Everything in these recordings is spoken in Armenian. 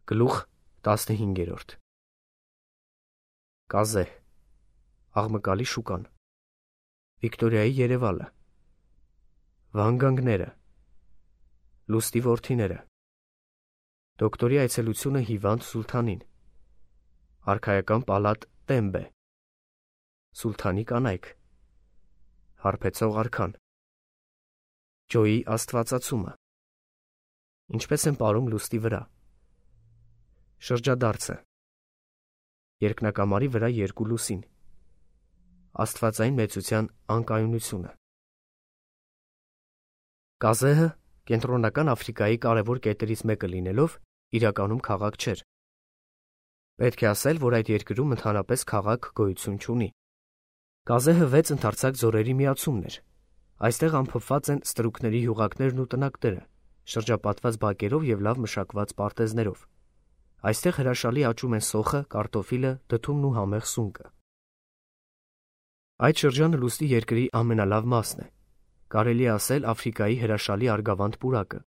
Գլուխ 15 Կազեհ աղմկալի շուկան Վիկտորիայի երևալը Վանգանգները Լուստի որդիները Դոկտորի այցելությունը հիվանդ Սուլթանին Արքայական պալատ Տեմբե Սուլթանի կանայք Հարբեցող արքան Ջոյի աստվածացումը Ինչպես են պարում լուստի վրա Շրջադարձը Երկնակամարի վրա երկու լուսին Աստվածային մեծության անկայունությունը Կազեհը կենտրոնական Աֆրիկայի կարևոր կետերից մեկը լինելով իրականում քաղաք չէր։ Պետք է ասել, որ այդ երկրում ընդհանրապես քաղաք գոյություն չունի։ Կազեհը 6 ընդարձակ ձորերի միացումն էր։ Այստեղ ամփոփված են ստրուկների հյուղակներն ու տնակները, շրջապատված բակերով և լավ մշակված պարտեզներով։ Այստեղ հրաշալի աճում են սոխը, կարտոֆիլը, դդումն ու համեղ սունկը։ Այդ շրջանը լուստի երկրի ամենալավ մասն է։ Կարելի է ասել Աֆրիկայի հրաշալի արգավանդ պուրակը։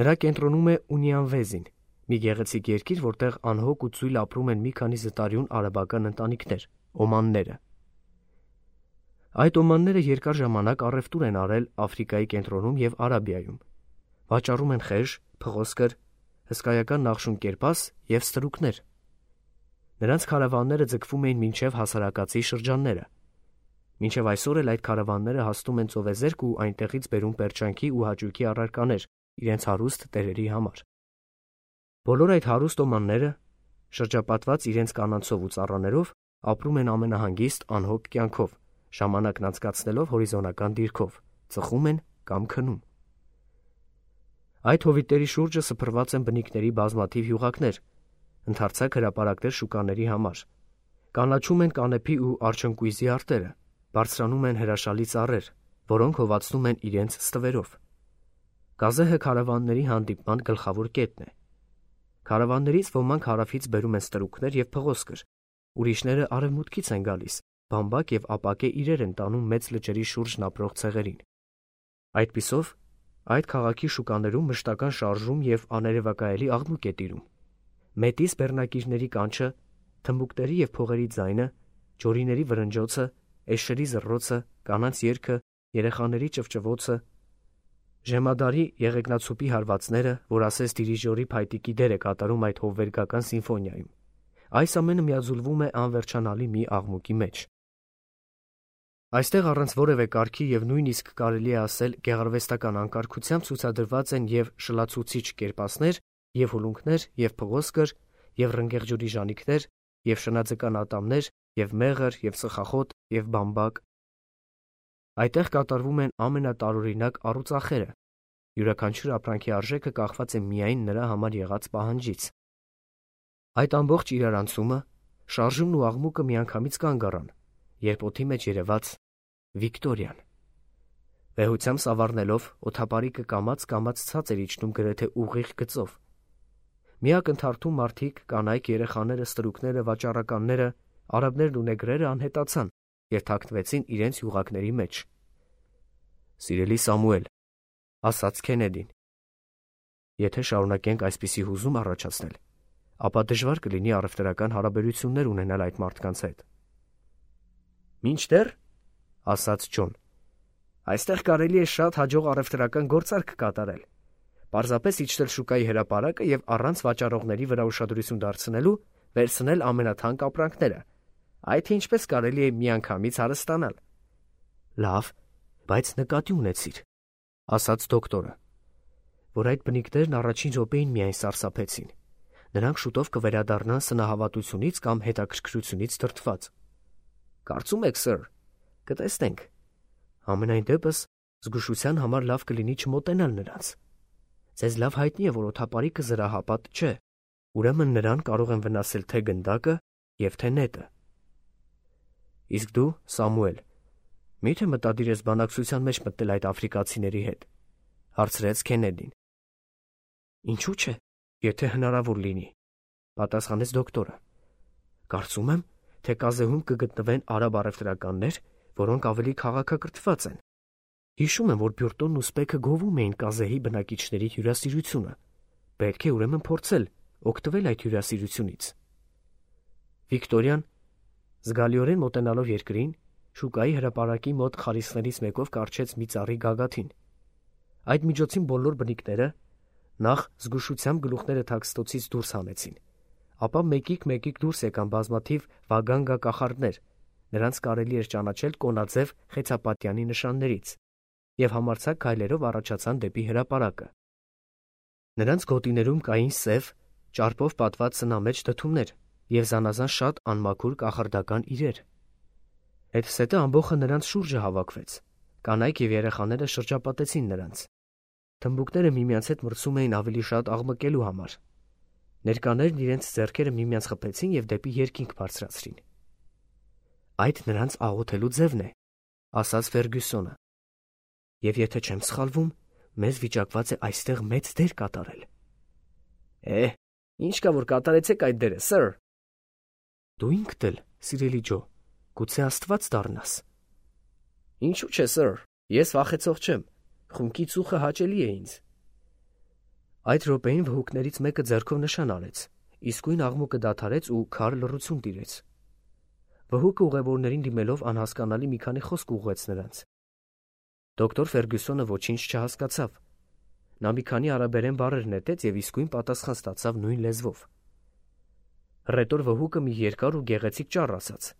Նրա կենտրոնում է Ունիանվեզին, մի գեղեցիկ երկիր, որտեղ անհոգ ու ծույլ ապրում են մի քանի զտարյուն արաբական ընտանիքներ, օմանները։ Այդ օմանները երկար ժամանակ առևտուր են արել Աֆրիկայի կենտրոնում և Արաբիայում։ Վաճառում են խեժ, փղոսկր, հսկայական նախշուն կերպաս և ստրուկներ։ Նրանց քարավանները ձգվում էին մինչև հասարակացի շրջանները։ Մինչև այսօր էլ այդ քարավանները հասնում են ծովեզերք ու այնտեղից բերում պերճանքի ու հաճույքի առարկաներ իրենց հարուստ տերերի համար։ Բոլոր այդ հարուստ օմանները, շրջապատված իրենց կանանցով ու ծառաներով, ապրում են ամենահանգիստ անհոգ կյանքով, ժամանակն անցկացնելով հորիզոնական դիրքով, ծխում են կամ քնում։ Այդ հովիտների շուրջը սփռված են բնիկների բազմաթիվ հյուղակներ, ընդարձակ հրապարակներ շուկաների համար։ Կանաչում են կանեփի ու արջնկույզի արտերը, բարձրանում են հրաշալի ծառեր, որոնք հովացնում են իրենց ստվերով։ Կազեհը քարավանների հանդիպման գլխավոր կետն է։ Քարավաններից ոմանք հարավից բերում են ստրուկներ և փղոսկր, ուրիշները արևմուտքից են գալիս, բամբակ և ապակե իրեր են տանում մեծ լճերի շուրջն ապրող ցեղերին։ Այդպիսով այդ քաղաքի շուկաներում մշտական շարժում և աներևակայելի աղմուկ է տիրում։ Մետիս բեռնակիրների կանչը, թմբուկների և փողերի ձայնը, ջորիների վրնջոցը, էշերի զռռոցը, կանանց երգը, երեխաների ճվճվոցը, Ժեմադարի եղեգնացուպի հարվածները, որ ասես դիրիժորի փայտիկի դեր է կատարում այդ հովվերգական սիմֆոնիայում։ Այս ամենը միաձուլվում է անվերջանալի մի աղմուկի մեջ։ Այստեղ առանց որևէ կարգի և նույնիսկ կարելի է ասել գեղարվեստական անկարգությամբ ցուցադրված են և շլացուցիչ կերպասներ, և հուլունքներ, և փղոսկր, և ռնգեղջյուրի ժանիքներ, և շնաձկան ատամներ, և մեղր, և ծխախոտ, և բամբակ։ Այդտեղ կատարվում են ամենատարօրինակ առուծախերը։ Յուրաքանչյուր ապրանքի արժեքը կախված է միայն նրա համար եղած պահանջից։ Այդ ամբողջ իրարանցումը, շարժումն ու աղմուկը միանգամից կանգ առան, երբ օդի մեջ երևաց Վիկտորիան։ Վեհությամբ սավառնելով օդապարիկը կամաց-կամաց ցած էր իջնում գրեթե ուղիղ գծով։ Միակ ընդհարթում մարդիկ, կանայք, երեխաները, ստրուկները, վաճառականները, արաբներն ու նեգրերը անհետացան և թաքնվեցին իրենց հյուղակների մեջ։ «Սիրելի Սամուել», ասաց Քենեդին, «եթե շարունակենք այսպիսի հուզում առաջացնել, ապա դժվար կլինի առևտրական հարաբերություններ ունենալ այդ մարդկանց հետ»։ «Մինչդեռ», ասաց Ջոն, «այստեղ կարելի է շատ հաջող առևտրական գործարք կատարել։ Պարզապես իջնել շուկայի հրապարակը և առանց վաճառողների վրա ուշադրություն դարձնելու վերցնել ամենաթանկ ապրանքները, այդ թե ինչպես կարելի է միանգամից հարստանալ»։ «Լավ, բայց նկատի ունեցիր», ասաց դոկտորը, որ այդ բնիկներն առաջին րոպեին միայն սարսափեցին։ Նրանք շուտով կվերադառնան սնահավատությունից կամ հետաքրքրությունից դրդված։ «Կարծում եք, սըր, կտեսնենք։ Համենայն դեպս զգուշության համար լավ կլինի չմոտենալ նրանց։ Ձեզ լավ հայտնի է, որ օդապարիկը զրահապատ չէ, ուրեմն նրան կարող են վնասել թե գնդակը և թե նետը»։ «Իսկ դու, Սամուել, մի՞թե մտադիր ես բանակցության մեջ մտնել այդ աֆրիկացիների հետ», հարցրեց Քենեդին։ «Ինչու՞ չէ, եթե հնարավոր լինի», պատասխանեց դոկտորը։ «Կարծում եմ, թե Կազեհում կգտնվեն արաբ առևտրականներ, որոնք ավելի քաղաքակրթված են։ Հիշում եմ, որ Բյուրտոնն ու Սպեքը գովում էին Կազեհի բնակիչների հյուրասիրությունը։ Պետք է ուրեմն փորձել օգտվել այդ հյուրասիրությունից։ Վիկտորիան, զգալիորեն մոտենալով երկրին, շուկայի հրապարակի մոտ խարիսներից մեկով կառչեց մի ծառի գագաթին։ Այդ միջոցին բոլոր բնիկները նախ զգուշությամբ գլուխները թաքստոցից դուրս հանեցին, ապա մեկիկ դուրս եկան բազմաթիվ վագանգա կախարդներ, նրանց կարելի էր ճանաչել կոնաձև խեցապատյանի նշաններից, և համարձակ քայլերով առաջացան դեպի հրապարակը։ Նրանց գոտիներում կային սև, ճարպով պատված սնամեջ դդումներ և զանազան շատ անմաքուր կախարդական իրեր։ Հետզհետե ամբոխը նրանց շուրջը հավաքվեց, կանայք և երեխաները շրջապատեցին նրանց։ Թմբուկները միմյանց հետ մրցում էին ավելի շատ աղմկելու համար։ Ներկաներն իրենց ձեռքերը միմյանց խփեցին և դեպի երկինք բարձրացրին։ «Այդ նրանց աղոթելու ձևն է», ասաց Ֆերգյուսոնը, «և եթե չեմ սխալվում, մեզ վիճակված է այստեղ մեծ դեր կատարել»։ Ինչ կա որ կատարեցեք այդ դերը, սըր։ Դու ինքդ էլ, սիրելի Ջո, գուցե Աստված դառնաս։ Ինչու՞ չէ, սըր, ես վախեցող չեմ, խունկի ծուխը հաճելի է ինձ։ Այդ րոպեին վհուկներից մեկը ձեռքով նշան արեց, իսկույն աղմուկը դադարեց ու քար լռություն տիրեց։ Վհուկը ուղևորներին դիմելով անհասկանալի մի քանի խոսք ուղղեց նրանց։ Դոկտոր Ֆերգյուսոնը ոչինչ չհասկացավ։ Նա մի քանի արաբերեն բառեր նետեց և իսկույն պատասխան ստացավ նույն լեզվով։ Հռետոր վհուկը մի երկար ու գեղեցիկ ճառ ասաց,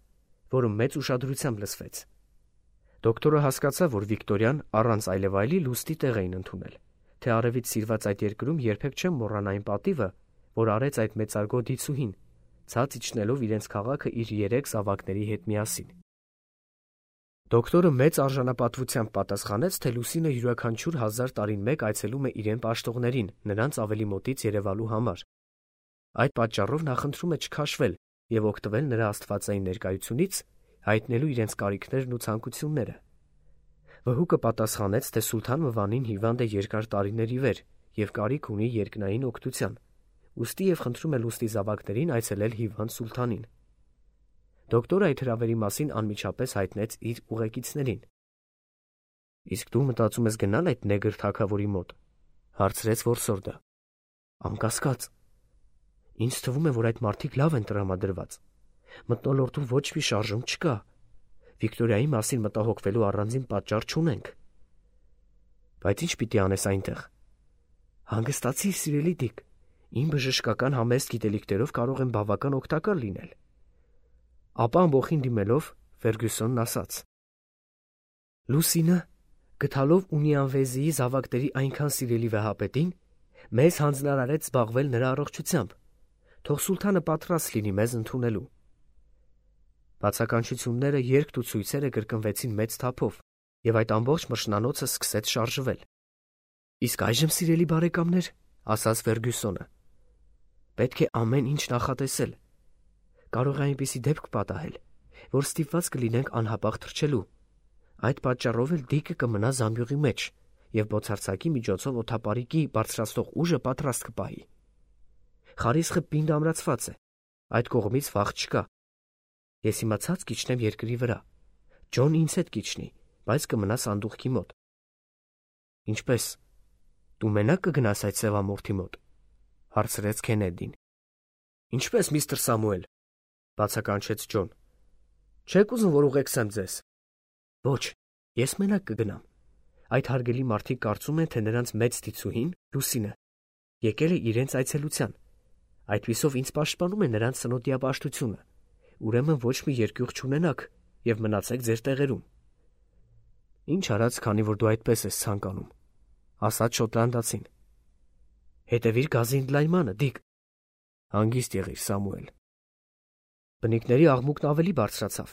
որը մեծ ուշադրությամբ լսվեց։ Դոկտորը հասկացավ, որ Վիկտորիան առանց այլևայլի լուստի տեղ էին ընդունել, թե արևից սիրված այդ երկրում երբեք չեմ մոռանա այն պատիվը, որ արեց այդ մեծարգո դիցուհին, ցած իջնելով իրենց քաղաքը իր 3 զավակների հետ միասին։ Դոկտորը մեծ արժանապատվությամբ պատասխանեց, թե Լուսինը յուրաքանչյուր 1000 տարին մեկ այցելում է իրեն պաշտողներին, նրանց ավելի մոտից երևալու համար։ Այդ պատճառով նա խնդրում է չքաշվել և օգտվել նրա աստվածային ներկայությունից, հայտնելու իրենց կարիքներն ու ցանկությունները։ Վհուկը պատասխանեց, թե Սուլթան Մվանին հիվանդ է երկար տարիների վեր և կարիք ունի երկնային օգնության, ուստի և խնդրում է լուստի զավակներին այցելել հիվանդ սուլթանին։ Դոկտորը այդ հրավերի մասին անմիջապես հայտնեց իր ուղեկիցներին։ «Իսկ դու մտածում ես գնալ այդ նեգր թագավորի մոտ», հարցրեց որսորդը։ «Անկասկած։ Ինձ թվում է, որ այդ մարդիկ լավ են տրամադրված։ Մթնոլորտում ոչ մի շարժում չկա։ Վիկտորիայի մասին մտահոգվելու առանձին պատճառ չունենք»։ «Բայց ինչ պիտի անես այնտեղ»։ «Հանգստացիր, սիրելի Դիկ, իմ բժշկական համեստ գիտելիքներով կարող են բավական օգտակար լինել»։ Ապա ամբոխին դիմելով Ֆերգյուսոնն ասաց. «Լուսինը, գտալով Ունիանվեզիի զավակների այնքան սիրելի վեհապետին, մեզ հանձնարարեց զբաղվել նրա առողջությամբ։ Թող սուլթանը պատրաստ լինի մեզ ընդունելու»։ Բացականչությունները, երգն ու ցույցերը կրկնվեցին մեծ թափով, և այդ ամբողջ մրջնանոցը սկսեց շարժվել։ «Իսկ այժմ, սիրելի բարեկամներ, ասաց Ֆերգյուսոնը, պետք է ամեն ինչ նախատեսել։ Կարող է այնպիսի դեպք պատահել, որ ստիպված կլինենք անհապաղ թռչելու։ Այդ պատճառով էլ Դիկը կմնա զամբյուղի մեջ և բոցարձակի միջոցով օդապարիկի բարձրացնող ուժը պատրաստ կպահի։ Խարիսխը պինդ ամրացված է, այդ կողմից վախ չկա։ Ես հիմա ցած կիջնեմ երկրի վրա։ Ջոն ինձ հետ կիջնի, բայց կմնա սանդուղքի մոտ։ Ինչպե՞ս, դու մենակ կգնաս այդ սևամորթի մոտ, հարցրեց Քենեդին։ Ինչպե՞ս, միստր Սամուել, բացականչեց Ջոն։ Չեք ուզում, որ ուղեկցեմ ձեզ։ Ոչ, ես մենակ կգնամ։ Այդ հարգելի մարդիկ կարծում են, թե նրանց մեծ դիցուհին, Լուսինը, եկել է իրենց այցելության։ Այդպիսով ինձ պաշտպանում է նրանց սնոտիապաշտությունը։ Ուրեմն ոչ մի երկյուղ չունենաք և մնացեք ձեր տեղերում։ Ինչ արած, քանի որ դու այդպես ես ցանկանում, ասաց շոտլանդացին։ Հետևիր գազի ընդլայնմանը, Դիկ։ Հանգիստ եղիր, Սամուել։ Բնիկների աղմուկն ավելի բարձրացավ։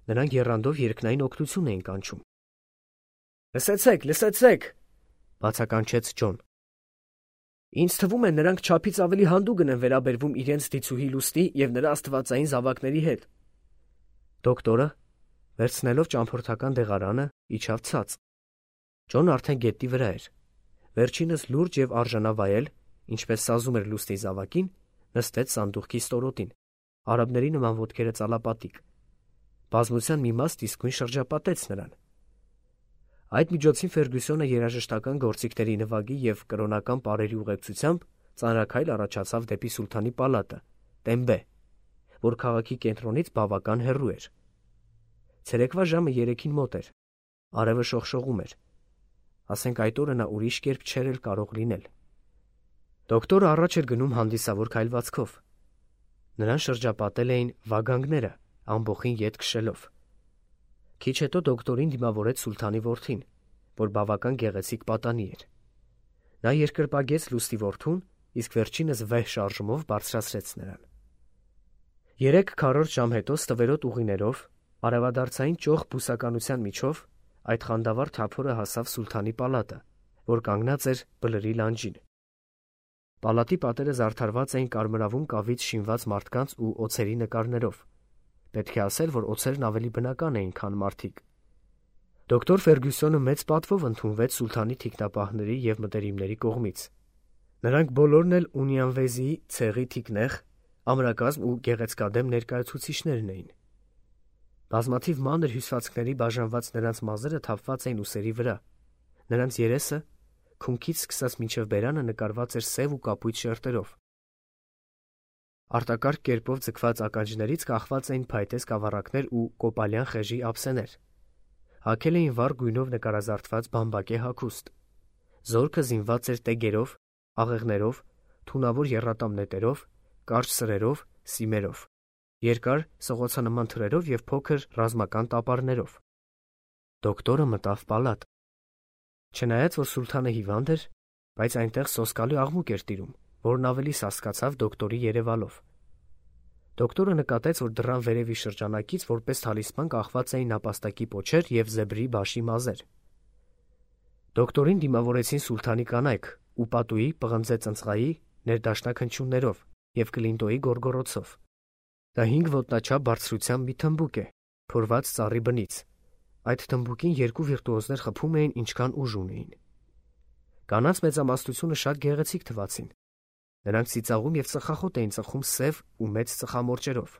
Նրանք եռանդով երկնային օգնություն էին կանչում։ Լսեցեք, լսեցեք, բացականչեց Ջոն։ Ինձ թվում է, նրանք չափից ավելի հանդուգն են վերաբերվում իրենց դիցուհի Լուստի և նրա աստվածային զավակների հետ։ Դոկտորը, վերցնելով ճամփորդական դեղարանը, իջավ ցած։ Ջոնն արդեն գետնի վրա էր։ Վերջինս լուրջ և արժանավայել, ինչպես սազում էր Լուստի զավակին, նստեց սանդուղքի ստորոտին, արաբների նման ոտքերը ծալապատիկ։ Բազմության մի մաս իսկույն շրջապատեց նրան։ Այդ միջոցին Ֆերգյուսոնը երաժշտական գործիքների նվագի և կրոնական պարերի ուղեկցությամբ ծանրաքայլ առաջացավ դեպի սուլթանի պալատը, Տեմբե, որ քաղաքի կենտրոնից բավական հեռու էր։ Ցերեկվա ժամը 3-ին մոտ էր, արևը շողշողում էր, ասենք այդ օրը նա ուրիշ կերպ չէր էլ կարող լինել։ Դոկտորը առաջ էր գնում հանդիսավոր քայլվածքով։ Նրան շրջապատել էին վագանգները, ամբոխին ետ քշելով։ Քիչ հետո դոկտորին դիմավորեց սուլթանի որդին, որ բավական գեղեցիկ պատանի էր։ Նա երկրպագեց լուստի որդուն, իսկ վերջինս վեհ շարժումով բարձրացրեց նրան։ 3/4 ժամ հետո ստվերոտ ուղիներով, արևադարձային ճոխ բուսականության միջով այդ խանդավառ թափորը հասավ սուլթանի պալատը, որ կանգնած էր բլրի լանջին։ Պալատի պատերը զարդարված էին կարմրավուն կավից շինված մարդկանց ու օձերի նկարներով։ Պետք է ասել, որ օձերն ավելի բնական էին, քան մարդիկ։ Դոկտոր Ֆերգյուսոնը մեծ պատվով ընդունվեց սուլթանի թիկնապահների և մտերիմների կողմից։ Նրանք բոլորն էլ Ունյանվեզիի ցեղի թիկնեղ, ամրակազմ ու գեղեցկադեմ ներկայացուցիչներն էին։ Բազմաթիվ մանր հյուսվածքների բաժանված նրանց մազերը թափված էին ուսերի վրա։ Նրանց երեսը, քունքից սկսած մինչև բերանը նկարված էր սև ու կապույտ շերտերով։ Արտակարգ կերպով ձգված ականջներից կախված էին փայտե սկավառակներ ու կոպալյան խեժի ափսեներ։ Հագել էին վառ գույնով նկարազարդված բամբակե հագուստ։ Զորքը զինված էր տեգերով, աղեղներով, թունավոր եռատամ նետերով, կարճ սրերով, սիմերով, երկար սղոցանման թրերով և փոքր ռազմական տապարներով։ Դոկտորը մտավ պալատ։ Չնայած, որ սուլթանը հիվանդ էր, բայց այնտեղ սոսկալի աղմուկ էր տիրում, որն ավելի սասկացավ դոկտորի երևալով։ Դոկտորը նկատեց, որ դռան վերևի շրջանակից որպես թալիսման կախված էին նապաստակի պոչեր և զեբրի բաշի մազեր։ Դոկտորին դիմավորեցին սուլթանի կանայք ու պատուի, պղնձե ծնծղայի, ներդաշնակ հնչյուններով և կլինտոյի գոռգոռոցով։ Դա 5 ոտնաչափ բարձրությամբ մի թմբուկ է, փորված ծառի բնից։ Այդ թմբուկին 2 վիրտուոզներ խփում էին, ինչքան ուժ ունեին։ Կանանց մեծամասնությունը շատ գեղեցիկ թվացին։ Նրանք ծիծաղում և ծխախոտ էին ծխում սև ու մեծ ծխամորճերով։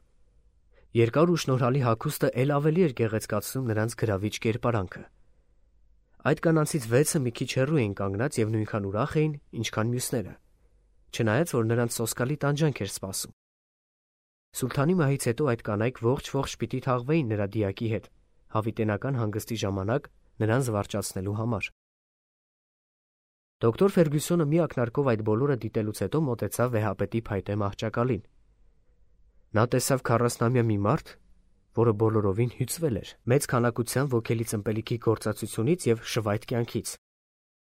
Երկար ու շնորհալի հագուստը էլ ավելի էր գեղեցկացնում նրանց գրավիչ կերպարանքը։ Այդ կանանցից 6-ը մի քիչ հեռու էին կանգնած և նույնքան ուրախ էին, ինչքան մյուսները, չնայած, որ նրանց սոսկալի տանջանք էր սպասում։ Սուլթանի մահից հետո այդ կանայք ողջ պիտի թաղվեին նրա դիակի հետ, հավիտենական հանգստի ժամանակ նրան զվարճացնելու համար։ Դոկտոր Ֆերգյուսոնը մի ակնարկով այդ բոլորը դիտելուց հետո մոտեցավ վեհապետի փայտե մահճակալին։ Նա տեսավ 40-ամյա մի մարդ, որը բոլորովին հյուծվել էր, մեծ քանակությամբ ոգելի ըմպելիքի գործածությունից և շվայտ կյանքից։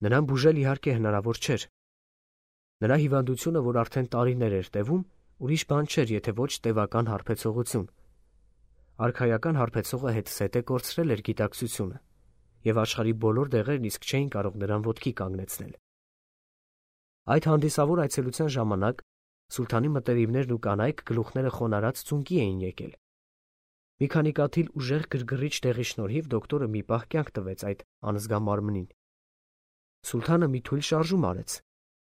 Նրան բուժել իհարկե հնարավոր չէր։ Նրա հիվանդությունը, որ արդեն տարիներ էր տևում, ուրիշ բան չէր, եթե ոչ տևական հարբեցողություն։ Արքայական հարբեցողը հետզհետե կորցրել էր գիտակցությունը, և աշխարհի բոլոր դեղերն իսկ չէին կարող նրան ոտքի կանգնեցնել։ Այդ հանդիսավոր այցելության ժամանակ սուլթանի մտերիմներն ու կանայք գլուխները խոնարհած ծունկի էին եկել։ Մի քանի կաթիլ ուժեղ գրգռիչ դեղի շնորհիվ դոկտորը մի պահ կյանք տվեց այդ անզգա մարմնին։ Սուլթանը մի թույլ շարժում արեց,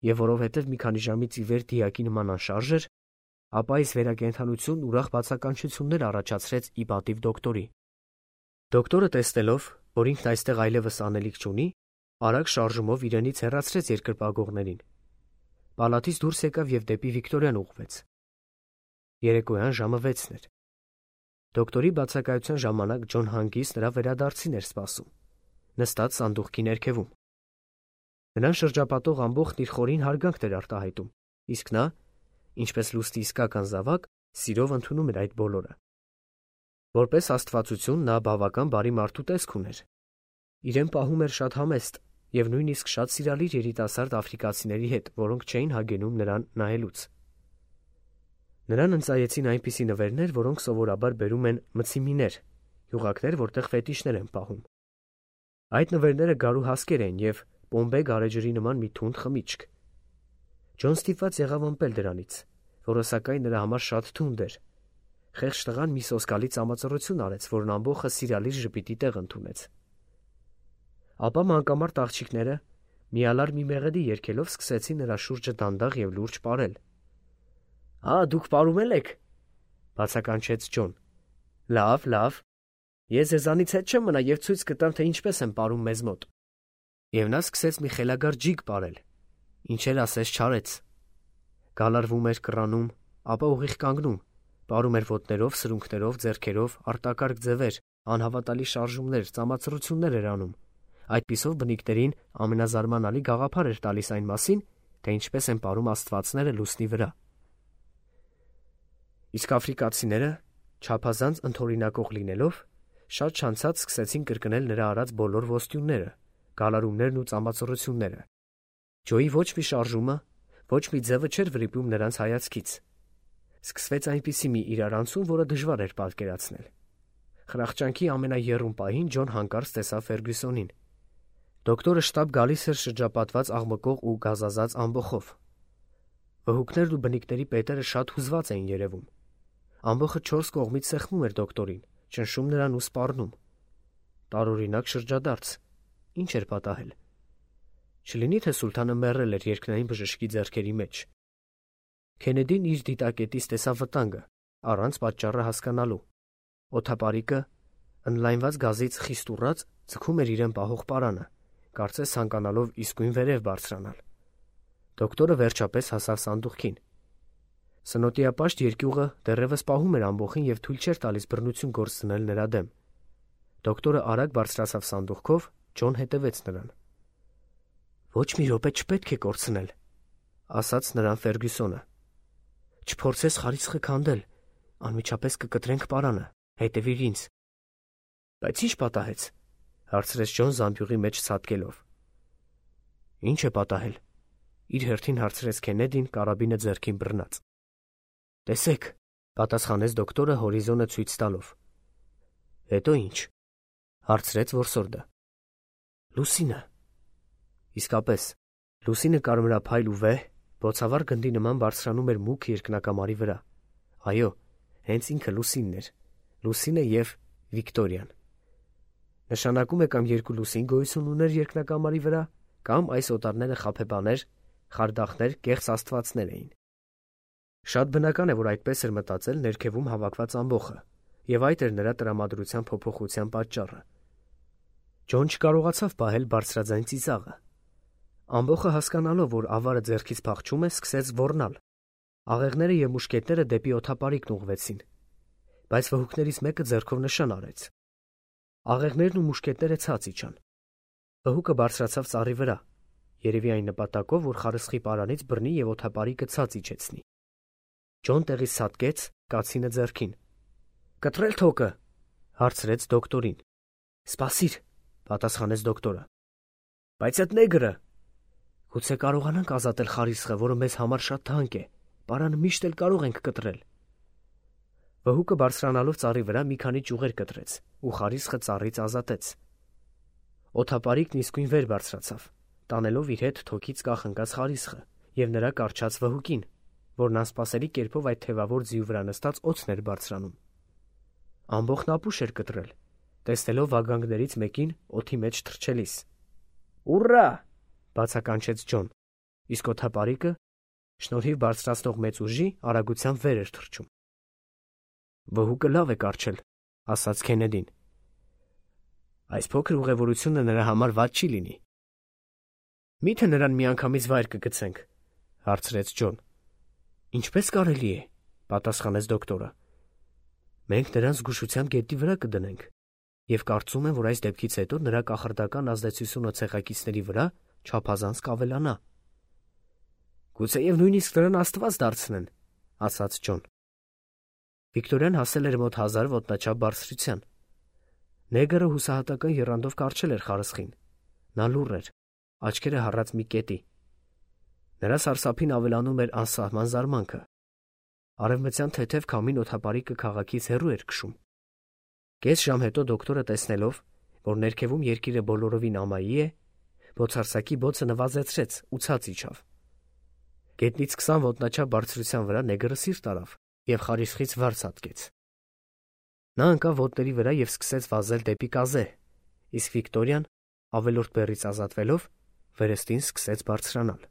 և որովհետև մի քանի ժամից ի վեր դիակի նման անշարժ էր, ապա այս վերակենդանությունն ուրախ բացականչություններ առաջացրեց ի պատիվ դոկտորի։ Դոկտորը տեսնելով, որ ինքն այստեղ այլևս անելիք չունի, արագ շարժումով իրենից հեռացրեց երկրպագողներին։ Պալատից դուրս եկավ և դեպի Վիկտորիան ուղղվեց։ Երեկոյան ժամը 6-ն էր։ Դոկտորի բացակայության ժամանակ Ջոն Հանգիս նրա վերադարձին էր սպասում, նստած սանդուղքի ներքևում։ Նրան շրջապատող ամբողջն իր խորին հարգանքն էր արտահայտում, իսկ նա, ինչպես լուստի իսկական զավակ, սիրով ընդունում էր այդ բոլորը։ Որպես աստվածություն նա բավական բարի մարդու տեսք ուներ։ Իրեն պահում էր շատ համեստ և նույնիսկ շատ սիրալիր երիտասարդ աֆրիկացիների հետ, որոնք չէին հագենում նրան նայելուց։ Նրան ընծայեցին այնպիսի նվերներ, որոնք սովորաբար բերում են մցիմիներ, յուղակներ, որտեղ ֆետիշներ են պահում։ Այդ նվերները գարու հասկեր էին և պոմբե գարեջրի նման մի թունդ խմիչք։ Ջոն ստիպված եղավ ըմպել դրանից, որը սակայն նրա համար շատ թունդ էր։ Խեղճ տղան մի սոսկալի ծամածռություն արեց, որն ամբողջը սիրալիր ժպիտի տեղ ընդունեց։ Ապա մանկամարտ աղջիկները միալար մի մեղեդի երգելով սկսեցին նրա շուրջը դանդաղ և լուրջ պարել։ Դուք պարում եք, բացականչեց Ջոն։ Լավ, ես ձեզանից հետ չեմ մնա և ցույց կտամ, թե ինչպես են պարում մեզ մոտ։ Եվ նա սկսեց մի խելագար ջիգ պարել, ինչ էլ ասես չարեց։ Գալարվում էր կռանում, ապա ուղիղ կանգնում, պարում էր ոտներով, սրունքներով, ձեռքերով, արտակարգ ձևեր, անհավատալի շարժումներ, ծամածռություններ էր անում։ Այդպիսով բնիկներին ամենազարմանալի գաղափար էր տալիս այն մասին, թե ինչպես են պարում աստվածները լուսնի վրա։ Իսկ աֆրիկացիները, չափազանց ընդօրինակող լինելով, շատ չանցած սկսեցին կրկնել նրա արած բոլոր ոստյունները, գալարումներն ու ծամածռությունները։ Ջոյի ոչ մի շարժումը, ոչ մի ձևը չէր վրիպում նրանց հայացքից։ Սկսվեց այնպիսի մի իրարանցում, որը դժվար էր պատկերացնել։ Խրախճանքի ամենաեռուն պահին Ջոն հանկարծ տեսավ Ֆերգյուսոնին։ Դոկտորը շտապ գալիս էր շրջապատված աղմկող ու գազազած ամբոխով։ Վհուկներն ու բնիկների պետերը շատ հուզված էին երևում։ Ամբոխը 4 կողմից սեղմում էր դոկտորին, ճնշում նրան ու սպառնում։ Տարօրինակ շրջադարձ։ Ինչ էր պատահել։ Չլինի թե սուլթանը մեռել էր երկնային բժշկի ձեռքերի մեջ։ Քենեդին իր դիտակետից տեսավ վտանգը, առանց պատճառը հասկանալու։ Օդապարիկը, ընդլայնված գազից խիստ ուռած, ձգում էր իրեն պահող պարանը, կարծես ցանկանալով իսկույն վերև բարձրանալ։ Դոկտորը վերջապես հասավ սանդուղքին։ Սնոտիապաշտ երկյուղը դեռևս պահում էր ամբոխին և թույլ չէր տալիս բռնություն գործնել նրա դեմ։ Դոկտորը արագ բարձրացավ սանդուղքով, Ջոն հետևեց նրան։ «Ոչ մի րոպե չպետք է կորցնել», ասաց նրան Ֆերգյուսոնը։ «Չփորձես խարիսխը քանդել, անմիջապես կկտրենք պարանը, հետևիր ինձ»։ «Բայց ի՞նչ պատահեց», հարցրեց Ջոն զամբյուղի մեջ ցատկելով։ «Ի՞նչ է պատահել», իր հերթին հարցրեց Քենեդին կարաբինը ձեռքին բռնած։ «Տեսեք», պատասխանեց դոկտորը հորիզոնը ցույց տալով։ «Հետո ի՞նչ», հարցրեց որսորդը։ «Լուսինը»։ Իսկապես, լուսինը կարմրափայլ ու վեհ, բոցավառ գնդի նման բարձրանում էր մուգ երկնակամարի վրա։ Այո, հենց ինքը Լուսինն էր, Լուսինը և Վիկտորիան։ Նշանակում է կամ երկու լուսին գոյություն ուներ երկնակամարի վրա, կամ այս օտարները խաբեբաներ, խարդախներ, կեղծ աստվածներ էին։ Շատ բնական է, որ այդպես էր մտածել ներքևում հավաքված ամբոխը, և այդ էր նրա տրամադրության փոփոխության պատճառը։ Ջոն չկարողացավ պահել բարձրաձայն ծիծաղը։ Ամբոխը հասկանալով, որ ավարը ձեռքից փախչում է, սկսեց ոռնալ։ Աղեղները և մուշկետները դեպի օդապարիկն ուղղվեցին, բայց վհուկներից մեկը ձեռքով նշան արեց։ Աղեղներն ու մուշկետները ցած իջան։ Վհուկը բարձրացավ ծառի վրա, երևի այն նպատակով, որ խարսխի պարանից բռնի և օդապարիկը ցած իջեցնի։ Ջոն տեղից ցատկեց, կացինը ձեռքին։ «Կտրել թոկը», հարցրեց դոկտորին։ «Սպասիր», պատասխանեց դոկտորը։ «Բայց այդ նեգրը»։ «Գուցե կարողանանք ազատել խարիսխը, որը մեզ համար շատ թանկ է, պարանը միշտ էլ կարող ենք կտրել»։ Վհուկը բարձրանալով ծառի վրա մի քանի ճյուղեր կտրեց ու խարիսխը ծառից ազատեց։ Օդապարիկն իսկույն վեր բարձրացավ, տանելով իր հետ թոքից կախնկած խարիսխը և նրա կառչած վհուկին, որն անսպասելի կերպով այդ թևավոր ձիու վրա նստած օձն էր բարձրանում։ Ամբոխն ապուշ էր կտրել, տեսնելով վագանգներից մեկին օդի մեջ թռչելիս։ «Ուռա!» բացականչեց Ջոն, իսկ օդապարիկը, շնորհիվ բարձրացնող մեծ ուժի, արագությամբ վեր էր թռչում։ «Վհուկը լավ է կառչել», ասաց Քենեդին։ «Այս փոքր ուղևորությունը նրա համար վատ չի լինի»։ «Մի՞թե նրան միանգամից վայր կգցենք», հարցրեց Ջոն։ «Ինչպես կարելի է», պատասխանեց դոկտորը։ «Մենք նրան զգուշությամբ գետնի վրա կդնենք, և կարծում եմ, որ այս դեպքից հետո նրա կախարդական ազդեցությունը ցեղակիցների վրա չափազանց կավելանա»։ «Գուցեև նույնիսկ նրան աստված դարձնեն», ասաց Ջոն։ Վիկտորիան հասել էր մոտ 1000 ոտնաչափ բարձրության։ Նեգրը հուսահատական եռանդով կառչել էր խարսխին։ Նա լուռ էր, աչքերը հառած մի կետի։ Նրա սարսափին ավելանում էր անսահման զարմանքը։ Արևմտյան թեթև քամին օդապարիկը քաղաքից հեռու էր քշում։ Կես ժամ հետո դոկտորը տեսնելով, որ ներքևում երկիրը բոլորովին ամայի է, բոցարսակի բոցը նվազեցրեց ու ցած իջավ։ Գետնից 20 ոտնաչափ բարձրության վրա նեգրը սիրտ արավ և խարիսխից վար ցատկեց։ Նա ընկավ ոտների վրա և սկսեց վազել դեպի կազե, իսկ Վիկտորիան, ավելորդ բեռից ազատվելով, վերստին սկսեց բարձրանալ։